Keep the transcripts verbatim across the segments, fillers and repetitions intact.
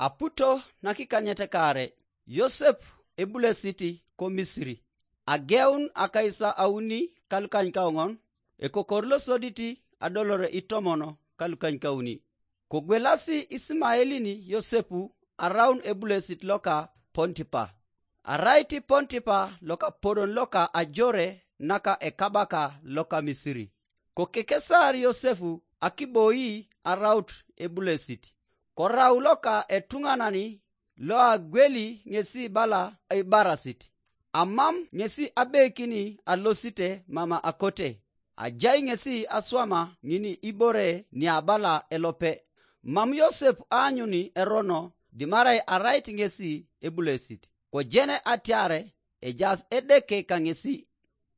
Aputo nakikanyet kaare, Yosep ebulesit ko Misiri. Ageun akais auni kalukanykaoŋon, ekokor losodit adolore itomon kalukanykauni. Kogwelasi Isimaelin Yosep araun ebulesit loka Pontipa. Arait Pontipa lokapolon loka ajore naka ekabaka loka Misiri. Kokekesar Yosep akiboi araut ebulesit. Korau loka etuŋanan loagweli ŋesi bala ibarasit. Amam ŋesi abeikini alosite mama akote. Ajai ŋesi aswama ŋin ibore niabala elope. Mam Yosep aanyuni erono dimarai arait ŋesi ebulesit. Kojene atiare ejaas Edeke kaŋesi.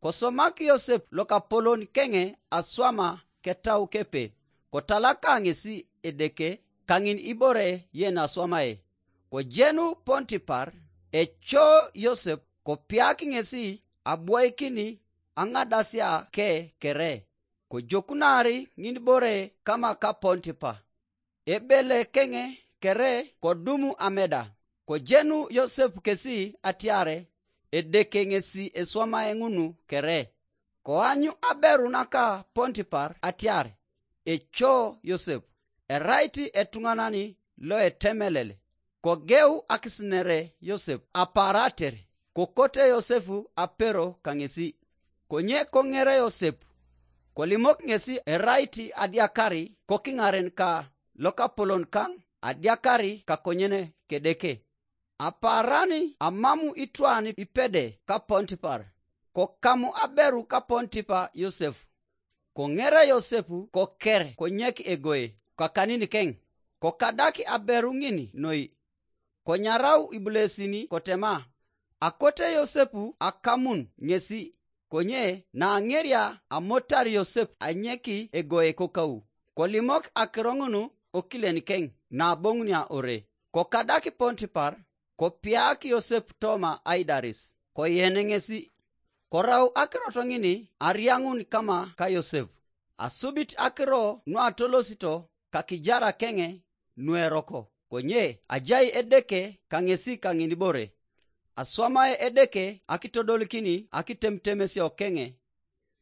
Kosomak Yosep lokapolon keŋe aswama ketau kepe, kotalaka ŋesi Edeke kaŋin ibore yen aswamae. Kojenu Pontipar, eco Yosep, kopiak ŋesi abwoikin aŋadasia ke kere, kojokunar ŋinibore kama ka Pontipa. Ebele keŋe kere kodumu ameda, kojenu Yosep kesi atiare Edeke ŋesi eswamae ŋunu kere. Koanyu aberu naka Pontipar atiar eco Yosep, erait etuŋanan loetemelel. Kogeu akisinere Yosep aparater, kokote Yosep apero kaŋesi. Konye koŋere Yosep, kolimok ŋesi erait adiakari kokiŋaren ka lokapolon kaŋ adiakari kakonyen kedeke. Apaaran amamu itwan ipede ka Pontipar, kokamu aberu ka Pontipa Yosep. Koŋere Yosep koker konyek egoe kakanini keŋ, kokadak aberu ŋin noi. Konyarau ibulesin kotema, akote Yosep akamun ŋesi, konye naaŋeria amotar Yosep anyeki egoe kokau, kolimok akiro ŋun okilen keŋ naboŋunia ore. Kokadak Pontipar, kopiak Yosep toma aidaris, koyen ŋesi. Korau akirot ŋin ariaŋun kama ka Yosep. Asubit akiro nuatolosito kakijara keŋe nueroko, konye ajai Edeke kaŋesi kaŋinibore. Aswamae Edeke akitodolikin akitemutemesio keŋe.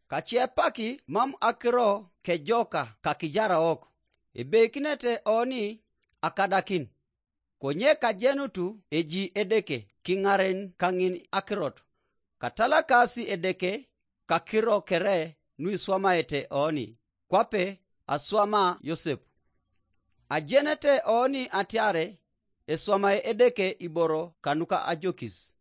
Kaciepaki mam akiro kejoka kakijaraok, ebeikinete oni akadakin. Konye kajenutu eji Edeke kiŋaren kaŋin akirot, katalakasi Edeke kakiro kere nuiswamaete oni, kwape aswama Yosep. Ajenete oni atiare eswamae Edeke iboro kanuka ajokis.